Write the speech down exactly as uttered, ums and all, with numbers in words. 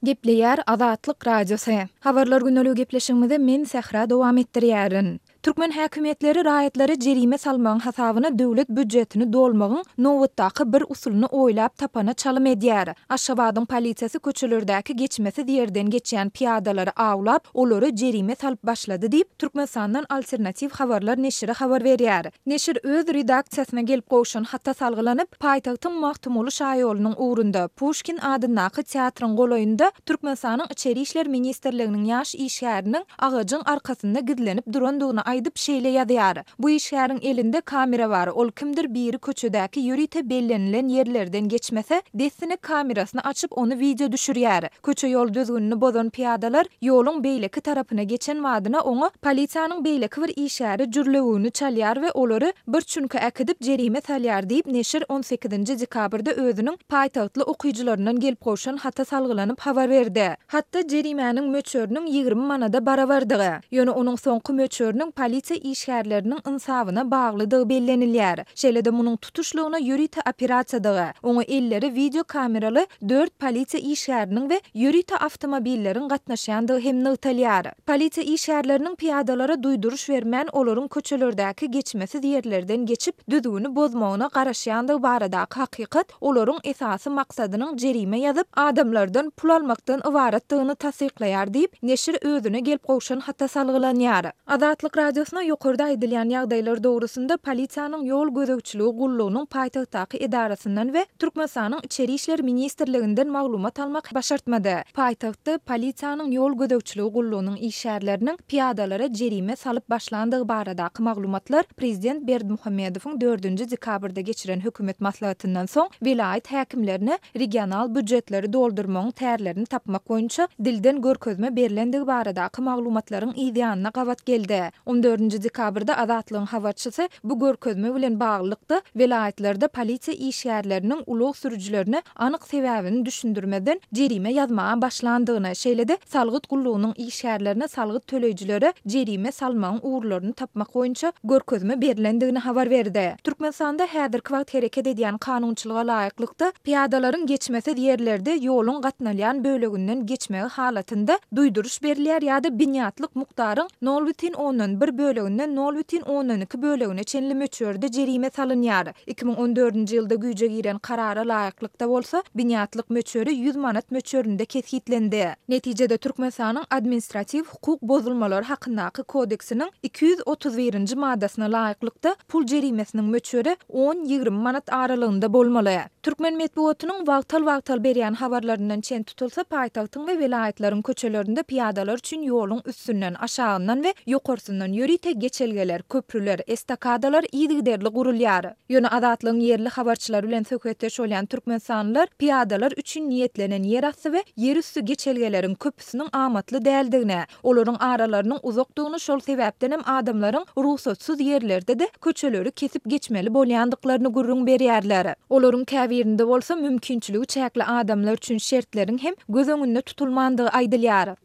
Gepleýär Azatlyk Radiosy. Habarlar gündeligi gepleşigimizi men Sähra dowam etdirýärin. Türkmen häkimiýetleri raýatlara jerime salmagyň hasabyna döwlet býujetini dolmagyň nobatdaky bir usulyny oýlap tapana çalym edýär. Aşgabadyň polisiýasy köçelerdäki geçmesiz ýerden geçýän pyýadalary awlap, olara jerime salyp başlady diýip, Türkmenistandan Alternatiw habarlar neşiri habar berýär. Neşir öz redaksiýasyna gelip gowşan hata salgylanyp, paýtagtyň Magtymguly şaýolunyň ugrunda, Puşkin adyndaky teatryň golaýynda Türkmenistanyň Içeri işler ministrliginiň ýaş işgäriniň agajyň arkasynda gizlenip durandygyny aýdyp şeýle ýazýar, Bu işgäriň elinde kamera bar, ol kimdir biri köçedäki ýörite bellenilen ýerlerden geçmese, dessine kamerasyny açyp ony wideo düşürýär. Köçe-ýol düzgünini bozan pyýadalar ýoluň beýleki tarapyna geçen badyna oňa polisiýanyň beýleki bir işgäri jürlewügini çalýar we olary bir çüňke äkidip jerime salýar diýip, neşir on sekizinji dekabrda özüniň paýtagtly okyjylaryndan gelip gowşan hata salgylanyp habar berdi. Hatda jerimäniň möçberiniň ýigrimi manada barabardygy, ýöne onuň soňky möçberiniň polisiýa işgärleriniň ynsabyna baglydygy bellenilýär. Şeýle-de munuň tutuşlygyna ýörite operasiýadygy, oňa elleri wideo kameraly dört polisiýa işgäriniň we ýörite awtomobilleriň gatnaşýandygy hem nygtalýar. Polisiýa işgärleriniň pyýadalara duýduryş bermän, olaryň köçelerdäki geçmesiz ýerlerden geçip, düzgüni bozmagyna garaşýandygy baradaky hakykat olaryň esasy maksadynyň jerime ýazyp, adamlardan pul almakdan ybaratdygyny tassyklaýar diýip, neşir özüne gelip gowşan hata salgylanýar. Azatlyk Radiosyna ýokarda aýdylýan ýagdaýlar dogrusynda polisiýanyň ýol gözegçiligi gullugynyň paýtagtdaky edarasyndan we Türkmenistanyň Içeri işler ministrliginden maglumat almak başartmady. Paýtagtda polisiýanyň ýol gözegçiligi gullugynyň işgärleriniň pyýadalara jerime salyp başlandygy baradaky maglumatlar prezident Berdimuhamedowyň dördünji dekabrda geçiren hökümet maslahatyndan soň welaýat häkimlerine regional býujetleri doldurmagyň tärlerini tapmak boýunça dilden görkezme berlendigi baradaky maglumatlaryň yzýanyna gabat geldi. On dördünji dekabrda Azatlygyň habarçysy bu görkezme bilen baglylykda welaýatlarda polisiýa işgärleriniň ulag sürüjilerine anyk sebäbini düşündirmezden jerime ýazmaga başlandygyny, şeýle-de salgyt gullugynyň işgärlerine salgyt töleýjilere jerime salmagyň ugurlaryny tapmak boýunça görkezme berlendigini habar berdi. Türkmenistanda häzirki wagt hereket edýän kanunçylyga laýyklykda pyýadalaryň geçmesiz ýerlerde ýoluň gatnalýan böleginden geçmegi halatynda duýduryş berilýär ýa-da binýatlyk mukdaryň nol bütin ondan bir böleginden nol bütin ondan iki bölegine çenli möçberde jerime salynýar. Iki müň on dördünji ýylda güýje giren karara laýyklykda bolsa binýatlyk möçberi ýüz manat möçberinde kesgitlendi. Netijede Türkmenistanyň administratiw hukuk bozulmalary hakyndaky kodeksiniň iki ýüz otuz birinji maddasyna laýyklykda pul jerimesiniň möçberi on-ýigrimi manat aralygynda bolmaly. Türkmen metbugatynyň wagtal-wagtal berýän habarlaryndan çen tutulsa, paýtagtyň we welaýatlaryň köçelerinde pyýadalar üçin ýoluň üstünden, aşagyndan we ýokarsyndan ýörite geçelgeler, köprüler, estakadalar yzygiderli gurulýar. Ýöne Azatlygyň ýerli habarçylary bilen söhbetdeş bolýan türkmenistanlylar pyýadalar üçin niýetlenen ýerasty we ýerüsti geçelgeleriň köpüsiniň amatly däldigini, olaryň aralarynyň uzakdygyny, şol sebäpdenem adamlaryň rugsatsyz ýerlerde-de köçeleri kesip geçmeli bolýandyklaryny gürrüň berýärler. Olaryň käbirinde bolsa mümkinçiligi çäkli adamlar üçin şertleriň hem göz öňünde tutulmandygy aýdylýar.